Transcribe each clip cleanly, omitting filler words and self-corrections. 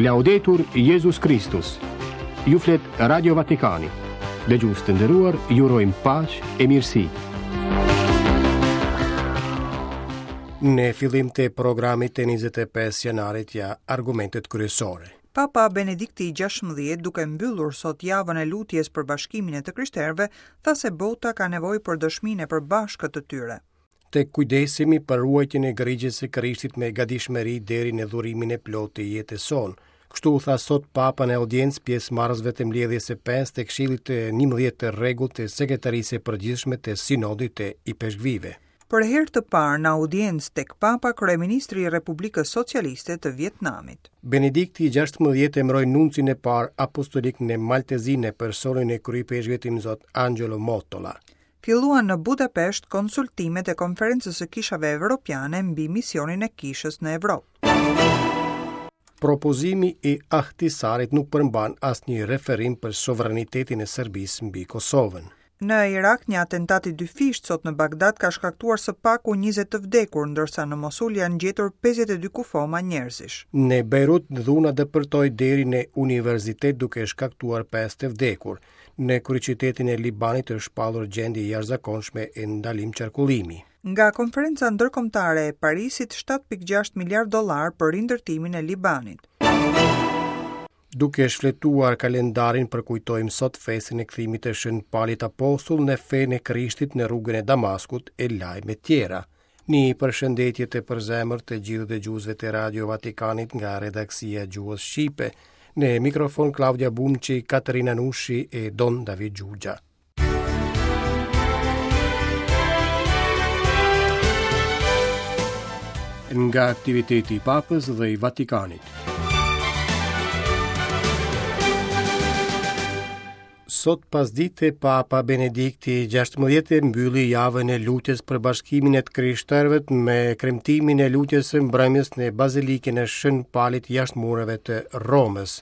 Laudetur Jezus Kristus. Ju flet Radio Vatikani. Dëgjues të nderuar, ju urojmë paqe e mirësi. Në fillim të programit të 25 janarit ja argumentet kryesore. Papa Benedikti i 16, duke mbyllur sot javën e lutjes për bashkimin e të krishterëve, tha se bota ka nevojë për dëshminë e përbashkët të tyre. Të kujdesemi për ruajtjen e grigjës së Krishtit me gatishmëri deri në dhurimin e plotë të jetës sonë. Kështu u tha sot Papa në audiencë pjesëmarrësve të mbledhjes së pestë të Këshillit të 11 të rregullt të Sekretarisë së Përgjithshme të Sinodit të Ipeshkvijve. Për herë të parë në audiencë tek Papa, kryeministri i Republikës Socialiste të Vietnamit. Benedikti i 16 emëroi nuncin e parë apostolik në Mal të Zi në personin e kryeipeshkvit Imzot Angelo Mottola. Filluan në Budapest konsultimet e Konferencës së Kishave Evropiane mbi misionin e Kishës në Evropë. Propozimi i Ahtisarit nuk përmban asnjë referim për sovranitetin e Serbisë mbi Kosovën. Në Irak, një atentat i dyfishtë sot në Bagdad ka shkaktuar së paku 20 të vdekur, ndërsa në Mosul janë gjetur 52 kufoma njerëzish. Në Bejrut, dhuna depërtoi deri në universitet duke shkaktuar 5 të vdekur. Në kryeqytetin e Libanit është shpallur gjendje e jashtëzakonshme e ndalim qarkullimi. Nga Konferenca Ndërkombëtare e Parisit 7.6 miliardë dollarë për rindërtimin e Libanit. Duke shfletuar kalendarin përkujtojmë sot festën e kthimit të Shën Palit Apostull në fenë e Krishtit në rrugën e Damaskut e lajme tjera. Një përshëndetje të përzemërt të gjithë dëgjuesve të Radio Vatikanit nga redaksia e gjuhës shqipe. Në mikrofon Klaudia Bumçi, Katerina Nushi e Don David Xhuxha. Nga aktiviteti i Papës dhe i Vatikanit. Sot pasdite Papa Benedikti i 16 mbylli javën e lutjes për bashkimin e të krishterëve me kremtimin e lutjes së mbrëmjes në Bazilikën e Shën Palit jashtë mureve të Romës.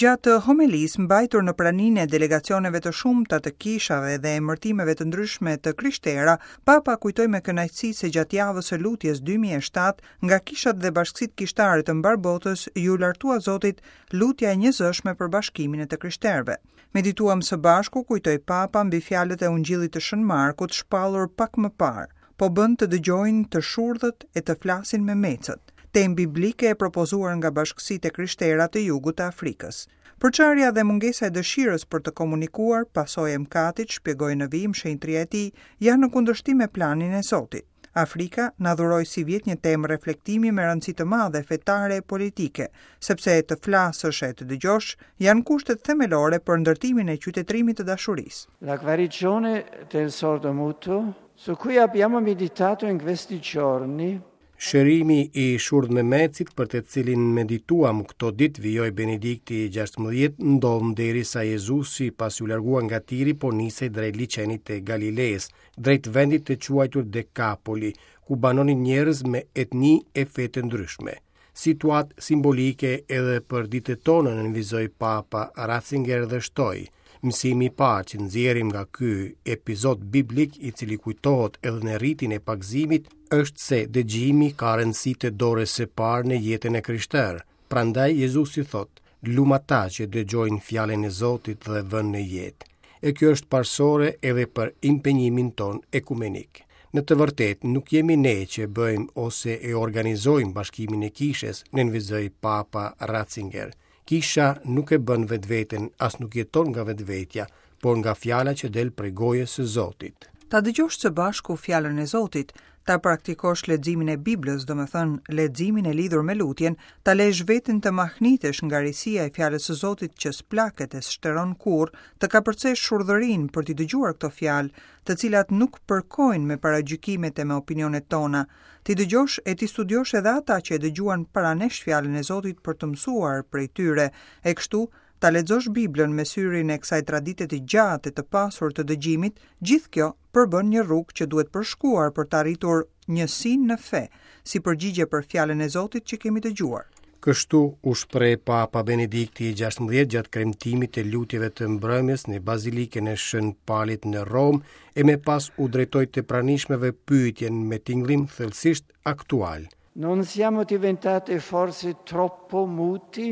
Gjatë homelisë mbajtur në praninë e delegacioneve të shumta të kishave dhe emërtimeve të ndryshme të krishtera, Papa kujtoi me kënaqësi se gjatë javës së lutjes 2007, nga kishat dhe bashkësitë kishtare të mbarë botës iu lartua Zotit lutja e njëzëshme për bashkimin e të krishterëve. Medituam së bashku, kujtoi Papa mbi fjalët e Ungjillit të Shën Markut shpallur pak më parë, Po bën të dëgjojnë të shurdhët e të flasin memecët, temë biblike e propozuar nga bashkësitë e krishtera të jugut të Afrikës. Përçarja dhe mungesa e dëshirës për të komunikuar, pasojë e mëkatit, shpjegoi në vijim shenjtëria e tij, janë në kundërshtim me planin e Zotit. Afrika na dhuroi sivjet një temë reflektimi me rëndësi të madhe fetare e politike, sepse të flasësh e të dëgjosh janë kushtet themelore për ndërtimin e qytetërimit të dashurisë. La guarigione del sordomuto, su cui abbiamo meditato in questi giorni, Shërimi i shurdhmemecit për të cilin medituam këto ditë, vijoi Benedikti i 16, ndodh derisa Jezusi pasi u largua nga Tiri po nisej drejt liqenit të Galilesë, drejt vendit të quajtur Dekapoli, ku banonin njerëz me etni e fe të ndryshme. Situatë simbolike edhe për ditët tona, nënvizoi Papa Ratzinger dhe shtoi, Mësimi i parë që nxjerrim nga ky epizod biblik i cili kujtohet edhe në ritin e pagëzimit është se dëgjimi ka rëndësi të dorës së parë në jetën e krishterë. Prandaj Jezusi thotë, Lum ata që dëgjojnë fjalën e Zotit dhe vënë në jetë. E kjo është parësore edhe për impenjimin tonë ekumenik. Në të vërtetë, nuk jemi ne që bëjmë ose e organizojmë bashkimin e kishës, nënvizoi Papa Ratzinger. Kisha nuk e bën vetveten, as nuk jeton nga vetvetja, por nga fjala që del prej gojës së Zotit. Ta dëgjosh së bashku fjalën e Zotit, ta praktikosh leximin e Biblës, domethënë leximin e lidhur me lutjen, ta lesh veten të mahnitesh nga risia e fjalës së Zotit që s'plaket e s'shteron kurrë, të kapërcesh shurdhërinë për t'i dëgjuar këto fjalë, të cilat nuk përkojnë me paragjykimet e me opinionet tona, t'i dëgjosh e t'i studiosh edhe ata që e dëgjuan para nesh fjalën e Zotit për të mësuar prej tyre, e kështu Ta lexosh Biblën me syrin e kësaj tradite të gjatë e të pasur të dëgjimit, gjithë kjo përbën një rrugë që duhet përshkuar për të arritur njësinë në fe, si përgjigje për fjalën e Zotit që kemi dëgjuar. Kështu u shpreh Papa Benedikti i 16 gjatë kremtimit të lutjeve të mbrëmjes në Bazilikën e Shën Palit në Romë e më pas u drejtoi të pranishmëve pyetjen me tingëllim thellësisht aktual. Non siamo diventati forse troppo muti?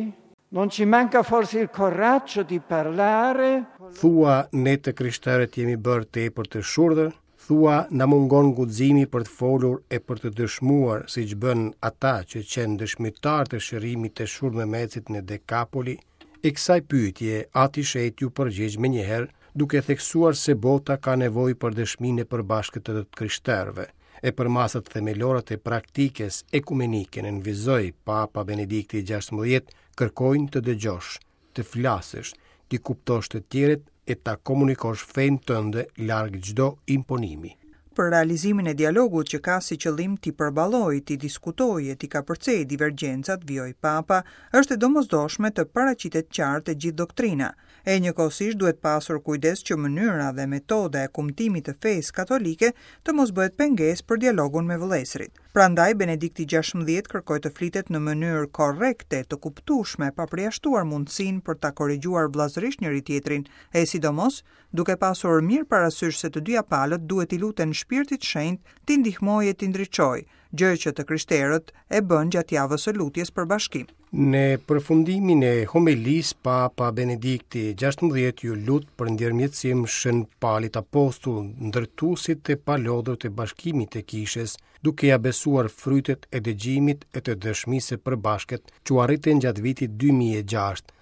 Non ci manca forse il coraggio di parlare? Thua ne të krishterët jemi bërë tepër të shurdhër? Thua na mungon guximi për të folur e për të dëshmuar siç bënë ata që qenë dëshmitarë të shërimit të shurdhmemecit në Dekapoli? E kësaj pyetje Ati i Shenjtë iu përgjigj menjëherë duke theksuar se bota ka nevojë për dëshminë e përbashkët të të krishterëve. E përmasat themelore të praktikës ekumenike nënvizoi Papa Benedikti XVI kërkojnë të dëgjosh, të flasësh, t'i kuptosh të tjerët e ta komunikosh fenë tënde larg çdo imponimi. Për realizimin e dialogut që ka si qëllim t'i përballojë, t'i diskutojë e t'i kapërcejë divergjencat, vijoi Papa, është e domosdoshme të paraqitet qartë e gjithë doktrina, E njëkohësisht duhet pasur kujdes që mënyra dhe metoda e kumtimit të fesë katolike të mos bëhet pengesë për dialogun me vëllezërit. Prandaj Benedikti XVI kërkoi të flitet në mënyrë korrekte, të kuptueshme, pa përjashtuar mundësinë për ta korrigjuar vëllazërisht njëri-tjetrin, e sidomos duke pasur mirë parasysh se të dyja palët duhet t'i luten Shpirtit Shenjt t'i ndihmojë e t'i ndriçojë, gjë që të krishterët e bënë gjatë javës së lutjes për bashkim. Në përfundimin e homelisë, Papa Benedikti XVI iu lut për ndërmjetësim Shën Palit Apostull, ndërtuesit të palodhur të bashkimit të Kishës, duke ia besuar frytet e dëgjimit e të dëshmisë së përbashkët që u arritën gjatë vitit 2006.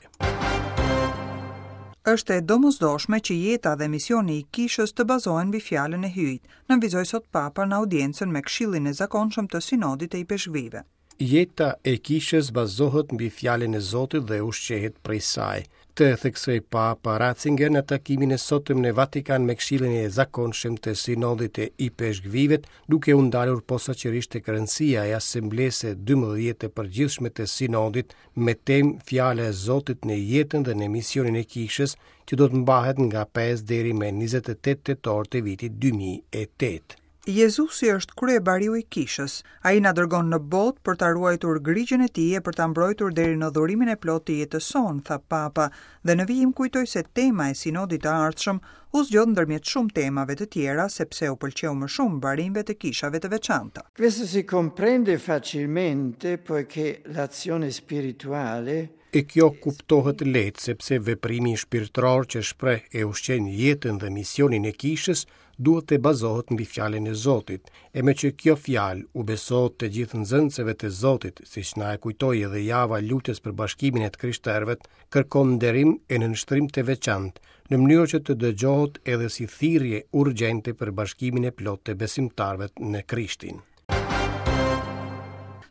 Është e domosdoshme që jeta dhe misioni i Kishës të bazohen mbi fjalën e Hyjit, nënvizoi sot Papa në audiencën me Këshillin e zakonshëm të Sinodit të Ipeshkvijve. Jeta e Kishës bazohet mbi fjalën e Zotit dhe ushqehet prej saj. Këtë e theksoi Papa Ratzinger në takimin e sotëm në Vatikan me Këshillin e zakonshëm të Sinodit të Ipeshkvijve, duke u ndalur posaçërisht tek rëndësia e Asamblesë së 12 të përgjithshme të Sinodit me temë Fjala e Zotit në jetën dhe në misionin e Kishës, që do të mbahet nga 5 deri me 28 tetor të vitit 2008. Jezusi është kryebariu i Kishës. Ai na dërgon në botë për ta ruajtur grigjën e tij e për ta mbrojtur deri në dhurimin e plotë të jetës sonë, tha Papa, dhe në vijim kujtoi se tema e sinodit të ardhshëm u zgjodh ndërmjet shumë temave të tjera sepse u pëlqeu më shumë barinjve të kishave të veçanta. Questo si comprende facilmente poiché l'azione spirituale E kjo kuptohet lehtë sepse veprimi shpirtëror që shpreh e ushqen jetën dhe misionin e Kishës duhet të bazohet mbi fjalën e Zotit, e meqë kjo fjalë u besohet të gjithë nxënësve të Zotit, siç na e kujtoi edhe java e lutjes për bashkimin e të krishterëve, kërkon nderim e nënshtrim të veçantë, në mënyrë që të dëgjohet edhe si thirrje urgjente për bashkimin e plotë të besimtarëve në Krishtin.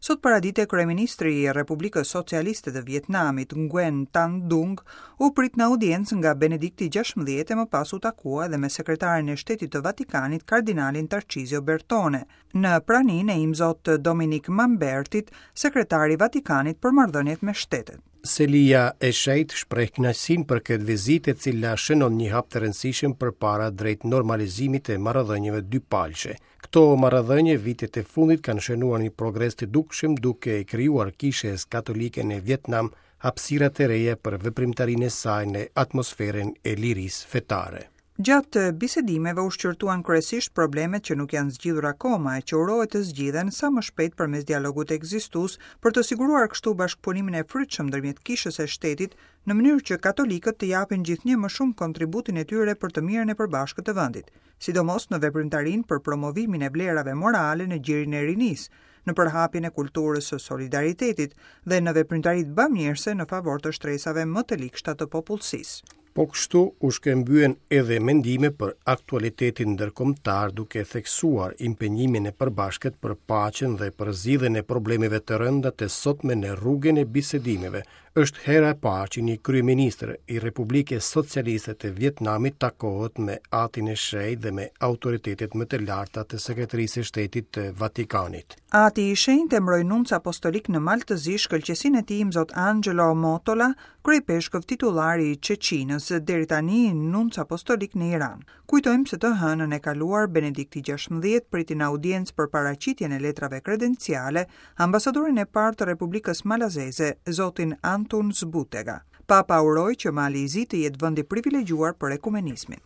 Sot paradite kryeministri i Republikës Socialiste të Vietnamit, Nguyen Tan Dung, u prit në audiencë nga Benedikti XVI e më pas u takua edhe me sekretarin e Shtetit të Vatikanit, kardinalin Tarcizio Bertone, në praninë e Imzot Dominik Mambertit, sekretar i Vatikanit për marrëdhëniet me shtetet. Selia e Shenjtë shpreh kënaqësinë për këtë vizitë e cila shënon një hap të rëndësishëm përpara drejt normalizimit të marrëdhënieve dypalëshe. Këto marrëdhënie vitet e fundit kanë shënuar një progres të dukshëm duke i krijuar Kishës Katolike në Vietnam hapësira të reja për veprimtarinë e saj në atmosferën e lirisë fetare. Gjatë bisedimeve u shqyrtuan kryesisht problemet që nuk janë zgjidhur akoma e që urohet të zgjidhen sa më shpejt përmes dialogut ekzistues për të siguruar kështu bashkëpunimin e frytshëm ndërmjet Kishës e shtetit në mënyrë që katolikët të japin gjithnjë më shumë kontributin e tyre për të mirën e përbashkët të vendit, sidomos në veprimtarinë për promovimin e vlerave morale në gjirin e rinisë, në përhapjen e kulturës së solidaritetit dhe në veprimtaritë bamirëse në favor të shtresave më të ligshta të popullsisë. Po kështu u shkëmbyen edhe mendime për aktualitetin ndërkombëtar duke theksuar impenjimin e përbashkët për paqen dhe për zgjidhjen e problemeve të rënda të sotme në rrugën e bisedimeve. Është hera e parë që një kryeministër i Republikës Socialiste të Vietnamit takohet me Atin e Shenjtë dhe me autoritetet më të larta të Sekretarisë së Shtetit të Vatikanit. Ati i Shenjtë emëroi nunc apostolik në Mal të Zi shkëlqesinë e tij Imzot Angelo Motola, Kryeipeshkëv titullar i Çeçinës, deri tani nunc apostolik në Iran. Kujtojmë se të hënën e kaluar Benedikti XVI priti në audiencë për paraqitjen e letrave kredenciale ambasadorin e parë të Republikës Malazeze, zotin Antun Zbutega. Papa uroi që Mali i Zi të jetë vend i privilegjuar për ekumenizmin.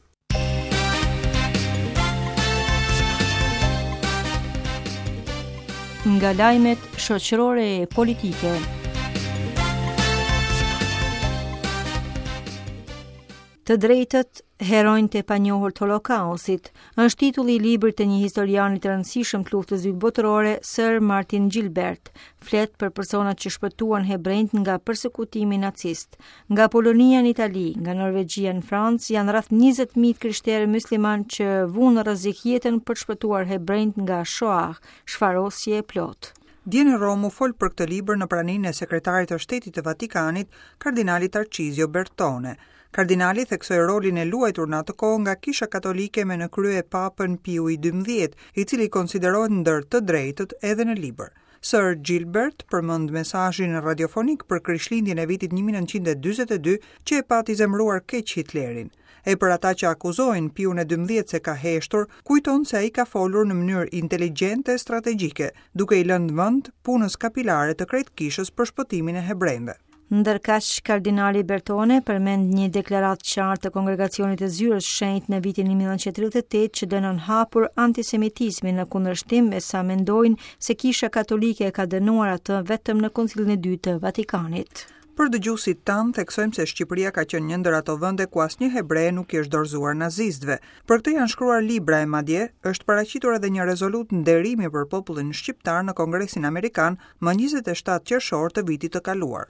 Nga lajmet shoqërore e politike. Të drejtët, heronjtë e panjohur të Holokaustit, është titulli i librit të një historiani të rëndësishëm të Luftës së Dytë Botërore, Sir Martin Gilbert. Flet për personat që shpëtuan hebrenjtë nga persekutimi nacist. Nga Polonia në Itali, nga Norvegjia në Francë, janë rreth 20.000 krishterë myslimanë që vunë në rrezik jetën për të shpëtuar hebrenjtë nga Shoah, shfarosje e plotë. Dje në Romë u fol për këtë libër në praninë e Sekretarit të Shtetit të Vatikanit, kardinalit Tarcizio Bertone. Kardinali theksoi rolin e luajtur në atë kohë nga Kisha Katolike me në krye Papën Piu i XII, i cili konsiderohet ndër të drejtët edhe në libër. Sir Gilbert përmend mesazhin radiofonik për Krishtlindjen e vitit 1942 që e pati zemëruar keq Hitlerin. E për ata që akuzojnë Piun e XII se ka heshtur, kujton se ai ka folur në mënyrë inteligjente e strategjike, duke i lënë vend punës kapilare të krejt kishës për shpëtimin e hebrenjve. Ndërkaq, kardinali Bertone përmend një deklaratë të qartë të Kongregacionit të Zyrës së Shenjtë në vitin 1938 që dënon hapur antisemitizmin në kundërshtim me sa mendojnë se Kisha Katolike e ka dënuar atë vetëm në Koncilin e Dytë të Vatikanit. Për dëgjuesit tanë, theksojmë se Shqipëria ka qenë një ndër ato vende ku asnjë hebre nuk i është dorëzuar nazistëve. Për këtë janë shkruar libra e madje është paraqitur edhe një rezolutë nderimi për popullin shqiptar në Kongresin Amerikan më 27 qershor të vitit të kaluar.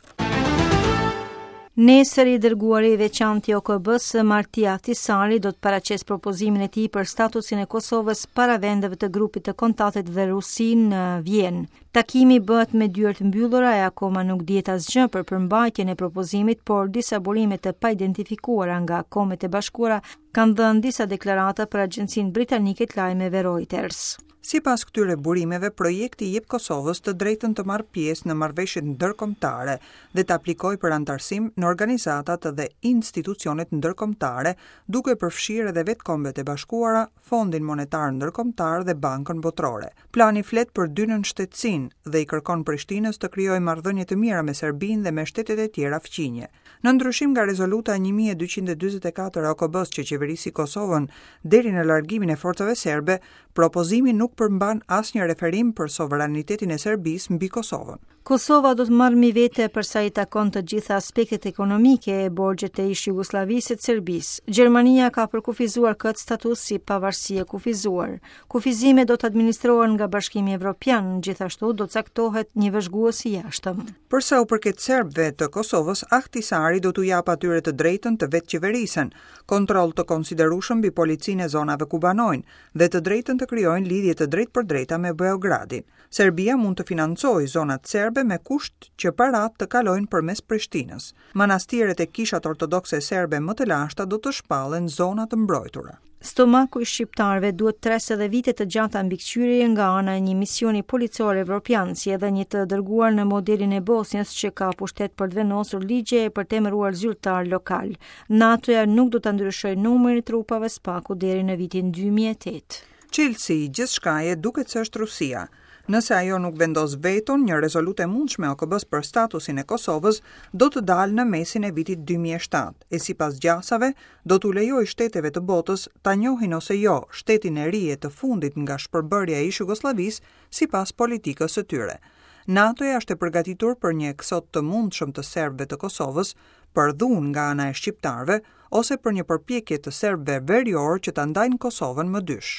Nesër i dërguari i veçantë i OKB-së, Martti Ahtisaari, do të paraqesë propozimin e tij për statusin e Kosovës para vendeve të grupit të kontaktit dhe Rusinë në Vjenë. Takimi bëhet me dyer të mbyllura e akoma nuk dihet asgjë për përmbajtjen e propozimit, por disa burime të paidentifikuara nga Kombet e Bashkuara kanë dhënë disa deklarata për agjencinë britanike të lajmeve Reuters. Sipas këtyre burimeve, projekti i jep Kosovës të drejtën të marrë pjesë në marrëveshjet ndërkombëtare dhe të aplikojë për anëtarësim në organizatat dhe institucionet ndërkombëtare, duke përfshirë edhe vetë Kombet e Bashkuara, Fondin Monetar Ndërkombëtar dhe Bankën Botërore. Plani flet për dy nënshtetësinë dhe i kërkon Prishtinës të krijojë marrëdhënie të mira me Serbinë dhe me shtetet e tjera fqinje. Në ndryshim nga rezoluta 1244 e OKB-së që qeverisi Kosovën deri në largimin e forcave serbe, propozimi nuk përmban asnjë referim për sovranitetin e Serbisë mbi Kosovën. Kosova do të marrë mbi vete për sa i takon të gjitha aspektet ekonomike e borxhet e ish-Jugosllavisë e të Serbisë. Gjermania ka përkufizuar këtë status si pavarësi e kufizuar. Kufizimet do të administrohen nga Bashkimi Evropian, gjithashtu do të caktohet një vëzhgues i jashtëm. Për sa u përket serbëve të Kosovës, Ahtisaari do t'u japë atyre të drejtën të vetëqeverisen, kontroll të konsiderueshëm mbi policinë e zonave ku banojnë dhe të drejtën të krijojnë lidhje të drejtpërdrejta me Beogradin. Serbia mund të financojë zonat serbe me kusht që paratë të kalojnë përmes Prishtinës. Manastiret e kishat ortodokse serbe më të lashta do të shpallen zona të mbrojtura. Stomaku i shqiptarëve duhet të presë edhe vite të gjata mbikëqyrjeje nga ana e një misioni policor evropian, si edhe një të dërguar në modelin e Bosnjës që ka pushtet për të vendosur ligje e për të emëruar zyrtarë lokalë. NATO-ja nuk do ta ndryshojë numrin e trupave së paku deri në vitin 2008. Çelësi i gjithçkaje duket se është Rusia. Nëse ajo nuk vendos veton, një rezolutë e mundshme e OKB-së për statusin e Kosovës do të dalë në mesin e vitit 2007, e sipas gjasave, do t'u lejojë shteteve të botës ta njohin ose jo shtetin e ri e të fundit nga shpërbërja e ish-Jugosllavisë sipas politikës së tyre. NATO-ja është e përgatitur për një eksod të mundshëm të serbëve të Kosovës, për dhunë nga ana e shqiptarëve ose për një përpjekje të serbëve veriorë që ta ndajnë Kosovën më dysh.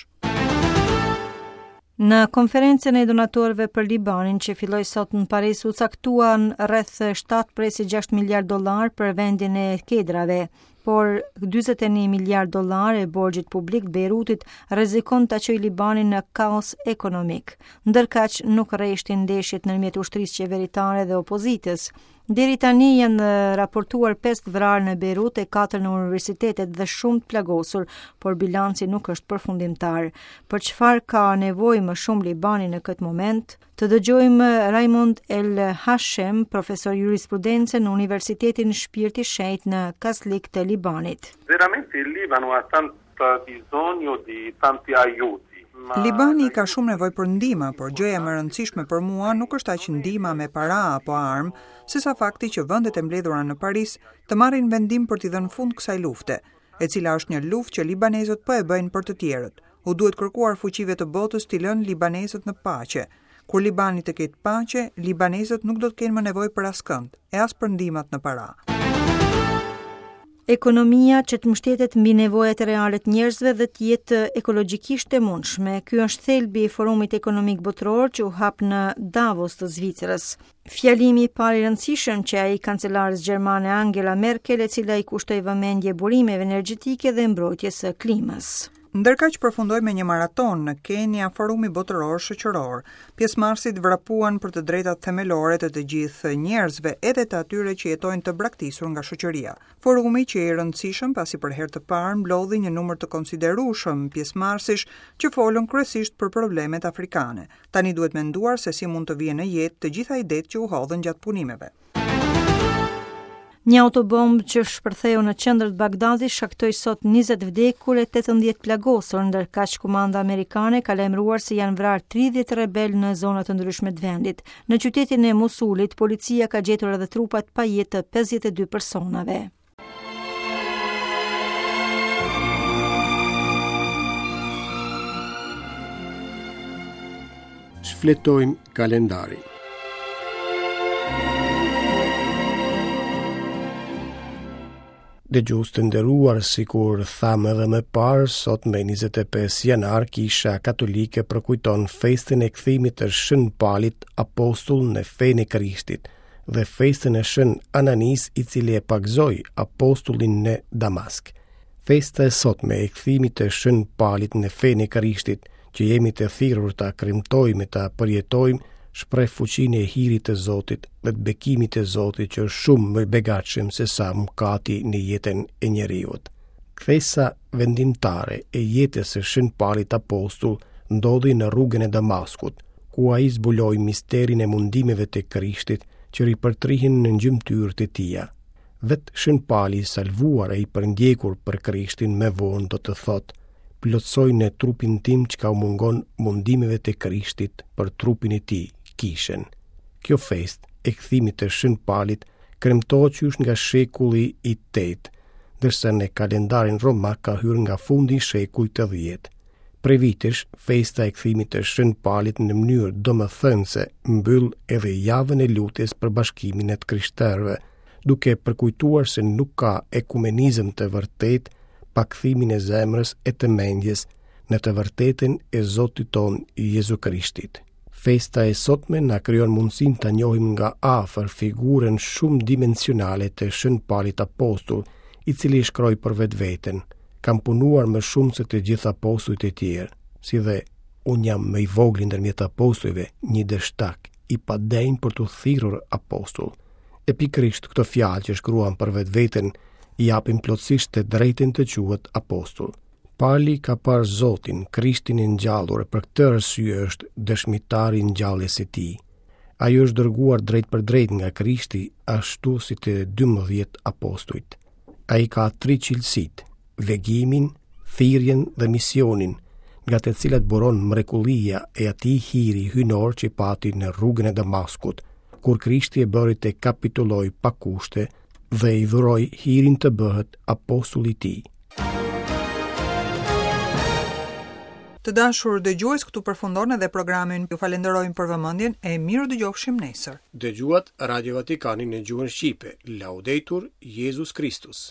Në konferencën e donatorëve për Libanin që filloi sot në Paris u caktuan rreth 7.6 miliard dollarë për vendin e kedrave, por 41 miliard dollarë e borxhit publik të Bejrutit rrezikon ta çojë Libanin në kaos ekonomik. Ndërkaq nuk reshtin ndeshjet ndërmjet ushtrisë qeveritare dhe opozitës. Deri tani janë raportuar 5 të vrarë në Bejrut e 4 në universitetet dhe shumë të plagosur, por bilanci nuk është përfundimtar. Për çfarë ka nevojë më shumë Libani në këtë moment? Të dëgjojmë Raymond El Hashem, profesor jurisprudence në Universitetin Shpirti i Shenjtë në Kaslik të Libanit. Veramente il Libano ha tanto bisogno di tanti aiuti. Libani ka shumë nevojë për ndihma, por gjëja më e rëndësishme për mua nuk është aq ndihma me para apo armë, sesa fakti që vendet e mbledhura në Paris të marrin vendim për t'i dhënë fund kësaj lufte, e cila është një luftë që libanezët po e bëjnë për të tjerët. U duhet kërkuar fuqive të botës t'i lënë libanezët në paqe. Kur Libani të ketë paqe, libanezët nuk do të kenë më nevojë për askënd, e as për ndihmat në para. Ekonomia që të mbështetet mbi nevojat reale të njerëzve dhe të jetë ekologjikisht e mundshme. Ky është thelbi i Forumit Ekonomik Botëror që u hap në Davos të Zvicrës. Fjalimi i parë i rëndësishëm qe ai i kancelares gjermane Angela Merkel, e cila i kushtoi vëmendje burimeve energjetike dhe mbrojtjes së klimës. Ndërkaq përfundoi me një maratonë në Kenia Forumi Botëror Shoqëror. Pjesëmarrësit vrapuan për të drejtat themelore të të gjithë njerëzve, edhe të atyre që jetojnë të braktisur nga shoqëria. Forumi qe i rëndësishëm pasi për herë të parë mblodhi një numër të konsiderueshëm pjesëmarrësish që folën kryesisht për problemet afrikane. Tani duhet menduar se si mund të vihen në jetë të gjitha idetë që u hodhën gjatë punimeve. Një autobombë që shpërtheu në qendër të Bagdadit shkaktoi sot 20 vdekur e 18 plagosur, ndërkaq komanda amerikane ka lajmëruar se janë vrarë 30 rebelë në zona të ndryshme të vendit. Në qytetin e Mosulit, policia ka gjetur edhe trupat pa jetë të 52 personave. Shfletojmë kalendarin. Dëgjues të nderuar, sikur thamë edhe më parë, sot me 25 janar, Kisha Katolike përkujton festën e kthimit të Shën Palit apostull në fenë e Krishtit dhe festën e Shën Ananisë i cili e pagëzoi apostullin në Damask. Festa e sotme e kthimit të Shën Palit në fenë e Krishtit, që jemi të thirrur ta kremtojmë e ta përjetojmë, shpreh fuqinë e hirit të Zotit dhe të bekimit të Zotit që është shumë më i begatshëm se sa mëkati në jetën e njeriut. Kthesa vendimtare e jetës së Shën Palit Apostull ndodhi në rrugën e Damaskut, ku ai zbuloi misterin e mundimeve të Krishtit që ripërtrihen në gjymtyrët e tija. Vetë Shën Pali i salvuar e i përndjekur për Krishtin më vonë do të thotë, plotësoj në trupin tim çka u mungon mundimeve të Krishtit për trupin e tij, kishën. Kjo festë e kthimit të Shën Palit kremtohet qysh nga shekulli i tetë, ndërsa në kalendarin romak ka hyrë nga fundi i shekullit të dhjetë. Prej vitesh, festa e kthimit të Shën Palit në mënyrë domethënëse mbyll edhe javën e lutjes për bashkimin e të krishterëve, duke përkujtuar se nuk ka ekumenizëm të vërtetë pa kthimin e zemrës e të mendjes në të vërtetën e Zotit tonë Jezu Krishtit. Festa e sotme na krijon mundësinë ta njohim nga afër figurën shumëdimensionale të Shën Palit Apostull, i cili shkroi për vetveten: Kam punuar më shumë se të gjithë apostujt e tjerë, si dhe unë jam më i vogli ndërmjet apostujve, një dështak, i padenjë për t'u thirrur apostull. E pikërisht këto fjalë që shkruan për vetveten i japin plotësisht të drejtën të quhet apostull. Pali ka parë Zotin, Krishtin e ngjallur e për këtë arsye është dëshmitar i ngjalljes së tij. Ai është dërguar drejtpërdrejt nga Krishti, ashtu si të 12 apostujt. Ai ka tri cilësitë, vegimin, thirrjen dhe misionin, nga të cilat buron mrekullia e atij hiri hyjnor që pati në rrugën e Damaskut, kur Krishti e bëri të kapitullojë pa kushte dhe i dhuroi hirin të bëhet apostull i tij. Të dashur dëgjues, këtu përfundon edhe programi. Ju falenderojmë për vëmendjen e mirudëgjofshim nesër. Dëgjuat Radio Vatikanin në gjuhën shqipe. Laudetur Jezus Kristus.